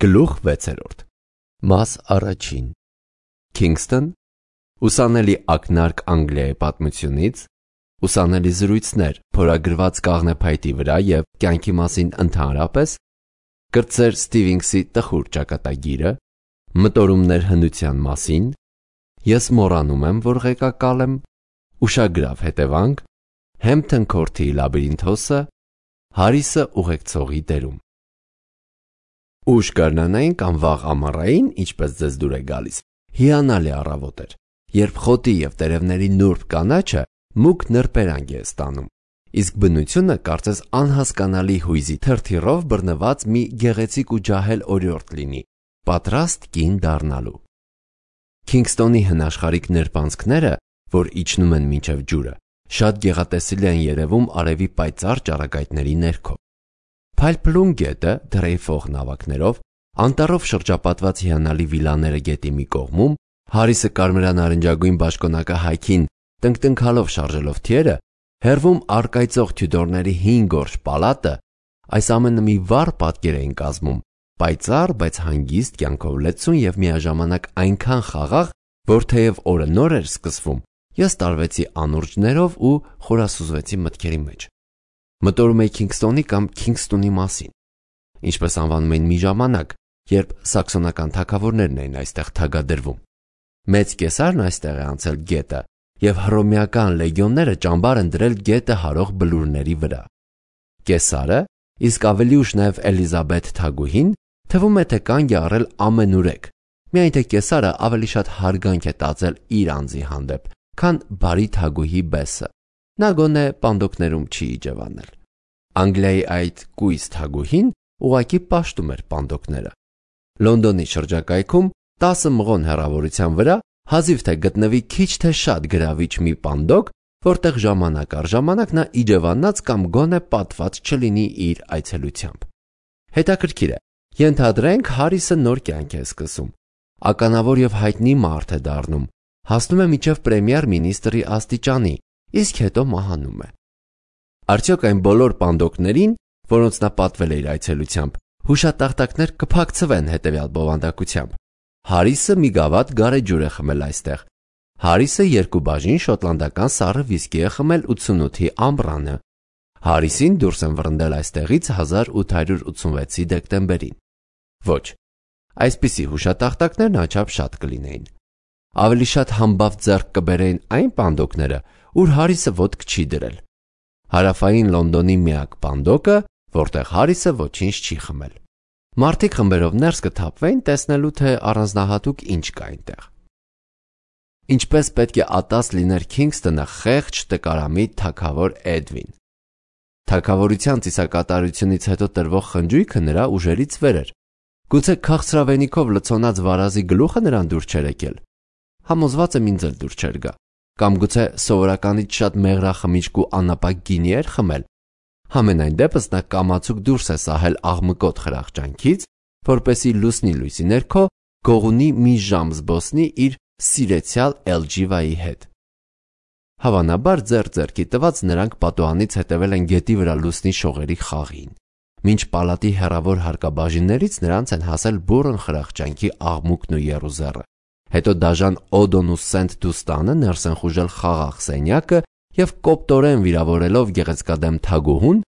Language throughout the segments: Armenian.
Գլուխ 6 Մաս առաջին Քինգսթոն ուսանելի ակնարկ Անգլիայի պատմությունից, ուսանելի զրույցներ փորագրված կաղնեփայտի վրա և կյանքի մասին ընդհանրապես, կրտսեր Ստիվենսի տխուր ճակատագիրը, մտորումներ հնության մասին, ես մոռանում եմ, որ ղեկակալ եմ, ուշագրավ հետևանք, Հեմփթոն Քորթի լաբիրինթոսը, Հարիսը ուղեկցողի դերում։ Ուշ գարնանային կամ վաղ ամառային, ինչպես ձեզ դուր է գալիս, հիանալի առավոտ էր, երբ խոտի և տերևների նուրբ կանաչը մուգ նրբերանգ է ստանում, իսկ բնությունը կարծես անհասկանալի հույզի թրթիռով բռնված մի գեղեցիկ ու ջահել օրիորդ լինի, պատրաստ կին դառնալու։ Քինգսթոնի հնաշխարհիկ նրբանցքները, որ իջնում են մինչև ջուրը, շատ գեղատեսիլ են երևում արևի պայծառ ճառագայթների ներքո։ Փայլփլուն գետը դրեյֆող նավակներով, անտառով շրջապատված հիանալի վիլաները գետի մի կողմում, Հարիսը կարմրան-նարնջագույն բաճկոնակը հայքին տնկտնքալով շարժելով թիերը, հեռվում առկայծող Թյուդորների հին գորշ պալատը, այս ամենը մի վառ պատկեր էին կազմում, պայծառ, բայց հանգիստ կյանքով լեցուն և միաժամանակ այնքան խաղաղ, որ թեև օրը նոր էր սկսվում, ես տարվեցի անուրջներով ու խորասուզվեցի մտքերի մեջ։ Մտորում էի Քինգսթոնի կամ Քինգսթոնի մասին, ինչպես անվանում էին մի ժամանակ, երբ սաքսոնական թագավորներն էին այստեղ թագադրվում։ Մեծ կեսարն այստեղ է անցել գետը, և հռոմեական լեգիոնները ճամբար են դրել գետը հարող բլուրների վրա։ Կեսարը, իսկ ավելի ուշ նաև Էլիզաբեթ թագուհին, թվում է թե կանգ է առել ամենուրեք, միայն թե կեսարը ավելի շատ հարգանք է տածել իր անձի հանդեպ, քան բարի թագուհի Բեսը։ Նա գոնե պանդոկներում չի իջևանել։ Անգլիայի այդ կույս թագուհին ուղղակի պաշտում էր պանդոկները։ Լոնդոնի շրջակայքում 10 մղոն հեռավորության վրա հազիվ թե գտնվի քիչ թե շատ գրավիչ մի պանդոկ, որտեղ ժամանակ առ ժամանակ նա իջևանած կամ գոնե պատված չլինի իր այցելությամբ։ Հետաքրքիր է, ենթադրենք Հարիսը նոր կյանք է սկսում, ականավոր և հայտնի մարդ է դառնում, հասնում է մինչև պրեմիեր-մինիստրի աստիճանի, իսկ հետո մահանում է։ Արդյոք այն բոլոր պանդոկներին, որոնց նա պատվել է իր այցելությամբ, հուշատախտակներ կփակցվեն հետևյալ բովանդակությամբ։ Հարիսը մի գավաթ գարեջուր է խմել այստեղ։ Հարիսը 2 բաժին շոտլանդական սառը վիսկի է խմել 88-ի ամռանը։ Հարիսին դուրս են վռնդել այստեղից 1886-ի դեկտեմբերին։ Ոչ, այսպիսի հուշատախտակներն անչափ շատ կլինեին։ Ավելի շատ համբավ ձեռք կբերեին այն պանդոկները, ուր Հարիսը ոտք չի դրել։ Հարավային Լոնդոնի միակ պանդոկը, որտեղ Հարիսը ոչինչ չի խմել։ Մարդիկ խմբերով ներս կթափվեին տեսնելու, թե առանձնահատուկ ինչ կա այնտեղ։ Ինչպես պետք է ատած լիներ Քինգսթոնը խեղճ տկարամիտ թագավոր Էդվին։ Թագավորության ծիսակատարությունից հետո տրվող խնջույքը նրա ուժերից վեր էր։ Գուցե քաղցրավենիքով լցոնած վարազի գլուխը նրան դուր չէր եկել։ Համոզված եմ ինձ էլ դուր չէր գա։ Կամ գուցե սովորականից շատ մեղրախմիչք ու անապակ գինի էր խմել։ Համենայն դեպս նա կամացուկ դուրս է սահել աղմկոտ խրախճանքից, որպեսզի լուսնի լույսի ներքո գողունի մի ժամ զբոսնի իր սիրեցյալ Էլջիվայի հետ։ Հավանաբար ձեռք-ձեռքի տված նրանք պատուհանից հետևել են գետի վրա լուսնի շողերի խաղին։ Մինչ պալատի հեռավոր հարկաբաժիններից նրանց են հասել բուռն խրախճանքի աղմուկն ու եռուզեռը։ Հետո դաժան Օդոն ու Սենթ Դուստանը ներս են խուժել խաղաղ սենյակը և կոպտորեն վիրավորելով գեղեցկադեմ թագուհուն,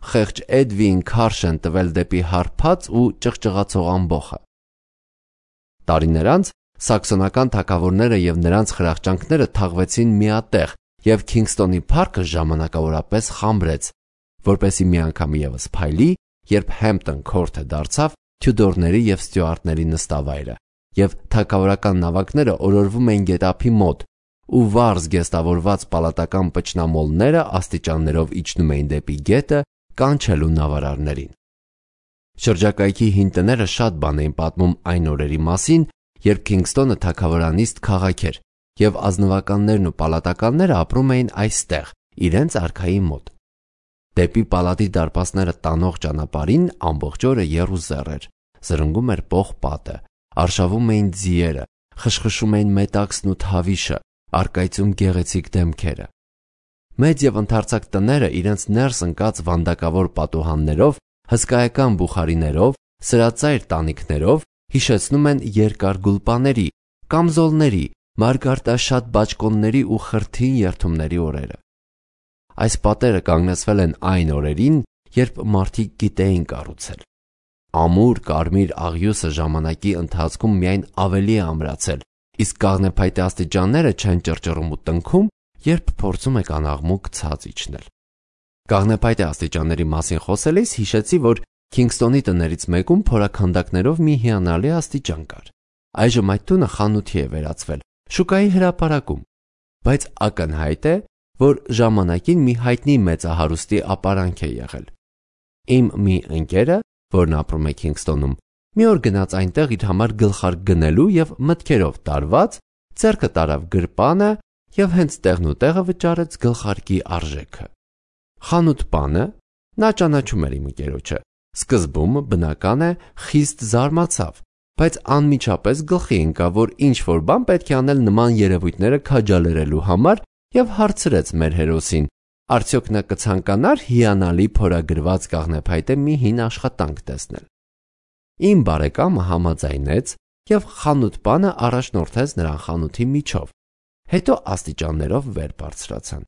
խեղճ Էդվին քարշ են տվել դեպի հարբած ու ճղճղացող ամբոխը։ Տարիներ անց սաքսոնական թագավորները և նրանց խրախճանքները թաղվեցին միատեղ, և Քինգսթոնի փառքը ժամանակավորապես խամրեց, որպեսզի մի անգամ ևս փայլի, երբ Հեմփթոն Քորթը դարձավ Թյուդորների և Ստյուարտների նստավայրը, և թագավորական նավակները օրորվում էին գետափի մոտ, ու վառ զգեստավորված պալատական պճնամոլները աստիճաններով իջնում էին դեպի գետը, կանչելու նավարարներին։ Շրջակայքի հին տները շատ բան էին պատմում այն օրերի մասին, երբ Քինգսթոնը թագավորանիստ քաղաք էր, և ազնվականներն ու պալատականները ապրում էին այստեղ, իրենց արքայի մոտ։ Դեպի պալատի դարպասները տանող ճանապարհին ամբողջ օրը եռուզեռ էր, զրնգում էր պողպատը, արշավում էին ձիերը, խշխշում էին մետաքսն ու թավիշը, առկայծում գեղեցիկ դեմքերը։ Մեծ և ընդարձակ տները իրենց ներս ընկած վանդակավոր պատուհաններով, հսկայական բուխարիներով, սրածայր տանիքներով հիշեցնում են երկար գուլպաների, կամզոլների, մարգարտաշատ բաճկոնների ու խրթին երթումների օրերը։ Այս պատերը կանգնեցվել են այն օրերին, երբ մարդիկ գիտեին կառուցել։ Ամուր կարմիր աղյուսը ժամանակի ընթացքում միայն ավելի է ամրացել, իսկ կաղնեփայտե աստիճանները չեն ճռճռում ու տնքում, երբ փորձում եք անաղմուկ ցած իջնել։ Կաղնեփայտե աստիճանների մասին խոսելիս հիշեցի, որ Քինգսթոնի տներից մեկում փորաքանդակներով մի հիանալի աստիճան կար։ Այժմ այդ տունը խանութի է վերածվել, շուկայի հրապարակում, բայց ակնհայտ է, որ ժամանակին մի հայտնի մեծահարուստի ապարանք է եղել։ Իմ մի ընկերը, որն ապրում է Քինգսթոնում, մի օր գնաց այնտեղ իր համար գլխարկ գնելու եւ մտքերով տարված, ձեռքը տարավ գրպանը եւ հենց տեղն ու տեղը վճարեց գլխարկի արժեքը։ Խանութպանը, նա ճանաչում էր իմ ընկերոջը, սկզբում բնական է խիստ զարմացավ, բայց անմիջապես գլխի ընկավ, որ ինչ-որ բան պետք է անել նման երևույթները քաջալերելու համար եւ հարցրեց մեր հերոսին. արդյոք նա կցանկանար հիանալի փորագրված կաղնեփայտե մի հին աշխատանք տեսնել։ Իմ բարեկամը համաձայնեց եւ խանութպանը առաջնորդեց նրան խանութի միջով, հետո աստիճաններով վեր բարձրացան։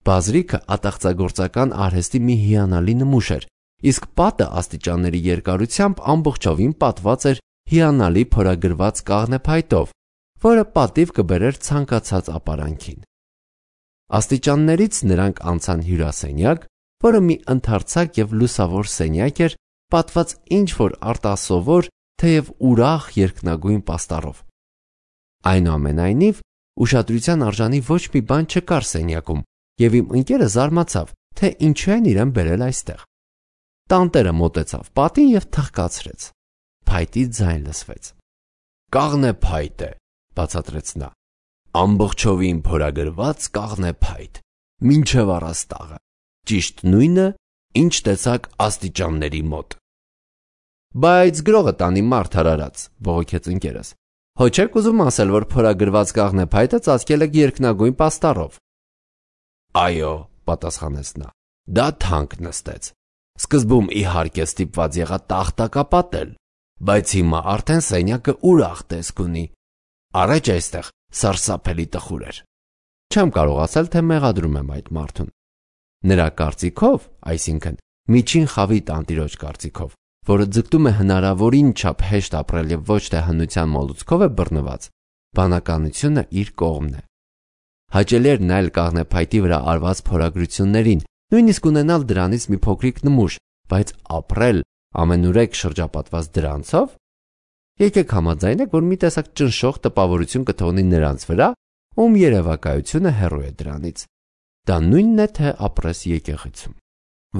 Բազրիքը ատաղծագործական արհեստի մի հիանալի նմուշ էր, իսկ պատը աստիճանների երկարությամբ ամբողջովին պատված էր հիանալի փորագրված կաղնեփայտով, որը պատիվ կբերեր ցանկացած ապարանքին։ Աստիճաններից նրանք անցան հյուրասենյակ, որը մի ընդարձակ եւ լուսավոր սենյակ էր, պատված ինչ-որ արտասովոր, թեև ուրախ երկնագույն պաստառով։ Այնուամենայնիվ, ուշադրության արժանի ոչ մի բան չկար սենյակում, եւ իմ ընկերը զարմացավ, թե ինչու են իրեն բերել այստեղ։ Տանտերը մոտեցավ պատին եւ թխկացրեց։ Փայտի ձայն լսվեց։ «Կաղնեփայտ է», բացատրեց նա։ «Ամբողջովին փորագրված կաղնեփայտ, մինչև առաստաղը, ճիշտ նույնը, ինչ տեսակ աստիճանների մոտ»։ «Բայց գրողը տանի մարդ հարարած», բողոքեց ընկերս։ «Հո չեք ուզում ասել, որ փորագրված կաղնեփայտը ծածկել եք երկնագույն պաստառով»։ «Այո», պատասխանեց նա, «դա թանկ նստեց։ Սկզբում իհարկե ստիպված եղա տախտակապատել, բայց հիմա արդեն սենյակը ուրախ տեսք ունի։ Առաջ այստեղ սարսափելի տխուր էր։ Չեմ կարող ասել, թե մեղադրում եմ այդ մարդուն։ Նրա կարծիքով, այսինքն միջին խավի տանտիրոջ կարծիքով, որը ձգտում է հնարավորին չափ հեշտ ապրել եւ ոչ թե հնության մոլուցքով է բռնված, բանականությունը իր կողմն է։ Հաճելի էր նայել կաղնեփայտի վրա արված փորագրություններին, նույնիսկ ունենալ դրանից մի փոքրիկ նմուշ, բայց ապրել ամենուրեք շրջապատված դրանցով։ Եկեք համաձայնենք, որ մի տեսակ ճնշող տպավորություն կթողնի նրանց վրա, ում երևակայությունը հեռու է դրանից։ Դա նույնն է, թե ապրես եկեղեցում։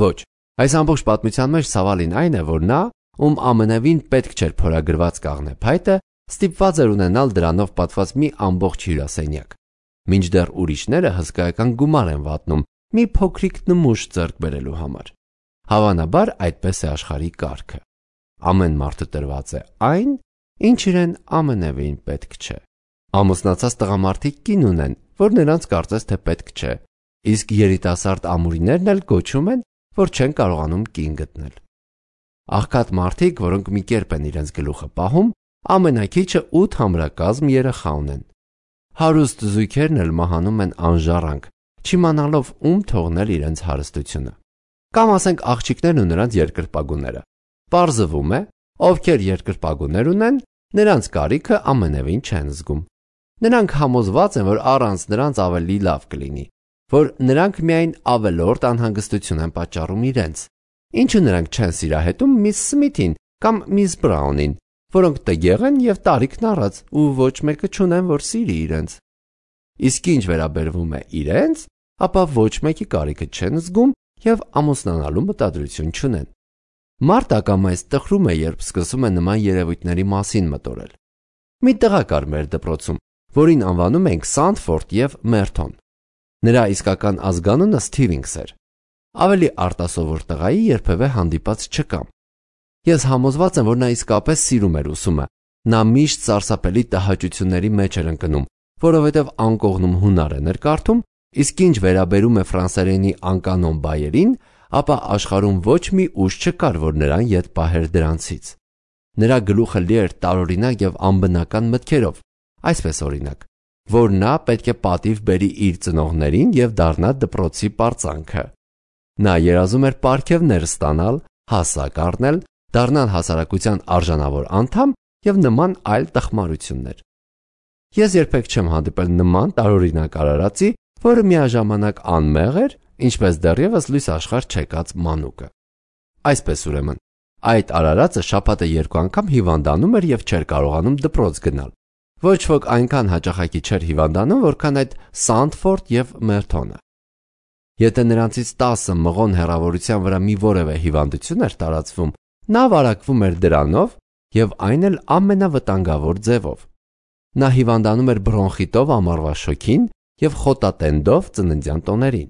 Ոչ, այս ամբողջ պատմության մեջ ցավալին այն է, որ նա, ում ամենևին պետք չէր փորագրված կաղնեփայտը, ստիպված էր ունենալ դրանով պատված մի ամբողջ հյուրասենյակ, մինչդեռ ուրիշները հսկայական գումար են վատնում մի փոքրիկ նմուշ ձեռք բերելու համար։ Հավանաբար այդպես է աշխարհի կարգը։ Ամեն մարդը տրված է այն, ինչ իրեն ամենևին պետք չէ։ Ամուսնացած տղամարդիկ կին ունեն, որ նրանց կարծես թե պետք չէ, իսկ երիտասարդ ամուրիներն էլ գոչում են, որ չեն կարողանում կին գտնել։ Աղքատ մարդիկ, որոնք մի կերպ են իրենց գլուխը պահում, ամենակիչը 8 համրակազմ երեխա ունեն։ Հարուստ զույգերն էլ մահանում են անժառանգ, չիմանալով ում թողնել իրենց հարստությունը։ Կամ ասենք աղջիկներն ու նրանց երկրպագուները։ Պարզվում է, ովքեր երկրպագուներ ունեն, նրանց կարիքը ամենևին չեն զգում։ Նրանք համոզված են, որ առանց նրանց ավելի լավ կլինի, որ նրանք միայն ավելորդ անհանգստություն են պատճառում իրենց։ Ինչու նրանք չեն սիրահետում միս Սմիթին կամ միս Բրաունին, որոնք տգեղ են եւ տարիքն առած ու ոչ մեկը չունեն, որ սիրի իրենց։ Իսկ ինչ վերաբերվում է իրենց, ապա ոչ մեկի կարիքը չեն զգում եւ ամուսնանալու մտադրություն չունեն։ Մարդը ակամայից տխրում է, երբ սկսում է նման երևույթների մասին մտորել։ Մի տղա կար մեր դպրոցում, որին անվանում ենք Սանդֆորդ եւ Մերթոն։ Նրա իսկական ազգանունը Սթիվինգս էր։ Ավելի արտասովոր տղայի երբևէ հանդիպած չկամ։ Ես համոզված եմ, որ նա իսկապես սիրում էր ուսումը։ Նա միշտ սարսափելի տհաճությունների մեջ էր ընկնում, որովհետև անկողնում հունարեն էր կարդում, իսկ ինչ վերաբերում է ֆրանսերենի անկանոն բայերին, ապա աշխարհում ոչ մի ուժ չկար, որ նրան ետ պահեր դրանցից։ Նրա գլուխը լի էր տարօրինակ եւ անբնական մտքերով, այսպես օրինակ, որ նա պետք է պատիվ բերի իր ծնողներին եւ դառնա դպրոցի պարծանքը։ Նա երազում էր պարգևներ ստանալ, հասակ առնել, դառնալ հասարակության արժանավոր անդամ եւ նման այլ տխմարություններ։ Ես երբեք չեմ հանդիպել նման տարօրինակ արարածի, որը միաժամանակ անմեղ էր, ինչպես դեռևս լույս աշխարհ չեկած մանուկը։ Այսպես ուրեմն, այդ արարածը շաբաթը 2 անգամ հիվանդանում էր եւ չէր կարողանում դպրոց գնալ։ Ոչ ոք այնքան հաճախակի չէր հիվանդանում, որքան այդ Սանդֆորդ եւ Մերթոնը։ Եթե նրանցից 10 մղոն հեռավորության վրա մի որևէ հիվանդություն էր տարածվում, նա վարակվում էր դրանով եւ այն էլ ամենավտանգավոր ձևով։ Նա հիվանդանում էր բրոնխիտով ամառվա շոգին եւ խոտատենդով ծննդյան տոներին։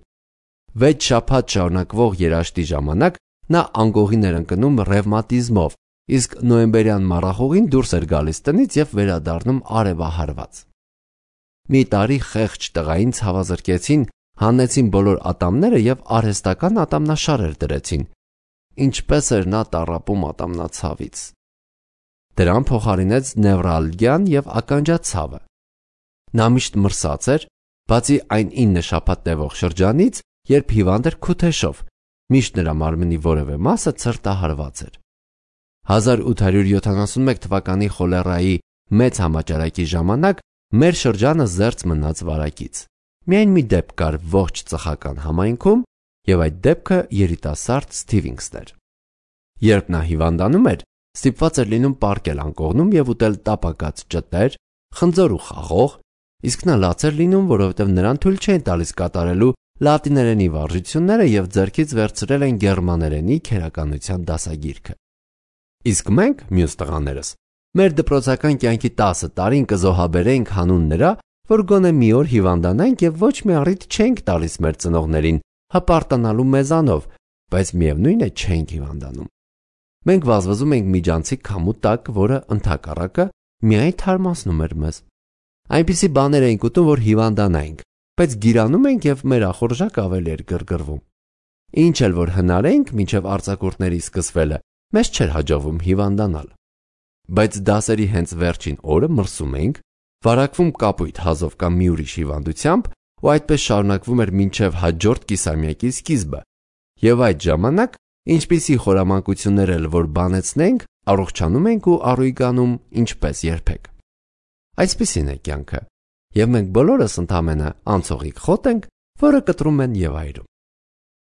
6 շաբաթ շարունակվող երաշտի ժամանակ նա անգողին էր ընկնում ռևմատիզմով, իսկ նոյեմբերյան մառախուղին դուրս էր գալիս տնից եւ վերադառնում արևահարված։ Մի տարի խեղճ տղային ցավազրկեցին, հանեցին բոլոր ատամները եւ արհեստական ատամնաշարեր դրեցին։ Ինչպես էր նա տառապում ատամնացավից։ Դրան փոխարինեց նևրալգիան եւ ականջացավը։ Նա միշտ մրսած էր, բացի այն 9 շաբաթ տևող շրջանից, երբ հիվանդ էր քութեշով, միշտ նրա մարմնի որևէ մասը ցրտահարված էր։ 1871 թվականի խոլերայի մեծ համաճարակի ժամանակ մեր շրջանը զերծ մնաց վարակից։ Միայն մի դեպք կար ողջ ծխական համայնքում, եւ այդ դեպքը երիտասարդ Սթիվինգսն էր։ Երբ նա հիվանդանում էր, ստիպված էր լինում պարկել անկողնում եւ ուտել տապակած ճտեր, խնձոր ու խաղող, իսկ նա լաց էր լինում, որովհետեւ նրան թույլ չէին տալիս կատարելու լատիներենի վարժությունները եւ ձեռքից վերցրել են գերմաներենի քերականության դասագիրքը։ Իսկ մենք, մյուս տղաներս, մեր դպրոցական կյանքի 10 տարին կզոհաբերեինք հանուն նրա, որ գոնե մի օր հիվանդանանք եւ ոչ մի առիթ չենք տալիս մեր ծնողներին հպարտանալու մեզանով, բայց միևնույն է չենք հիվանդանում։ Մենք վազվզում ենք միջանցիկ քամու տակ, որը ընդհակառակը միայն թարմացնում էր մեզ։ Այնպիսի բաներ էինք ուտում, որ հիվանդանայինք, բայց գիրանում ենք եւ մեր ախորժակը ավելի էր գրգռվում։ Ինչ էլ որ հնարեինք մինչև արձակուրդների սկսվելը, մեզ չէր հաջողվում հիվանդանալ։ Բայց դասերի հենց վերջին օրը մրսում էինք, վարակվում կապույտ հազով կամ մի ուրիշ հիվանդությամբ, ու այդպես շարունակվում էր մինչև հաջորդ կիսամյակի սկիզբը։ Եվ այդ ժամանակ, ինչպիսի խորամանկություններ էլ որ բանեցնենք, առողջանում ենք ու առույգանում ինչպես երբեք։ Այսպիսին է կյանքը, եւ մենք բոլորս ընդամենը անցողիկ խոտ ենք, որը կտրում են եւ այրում։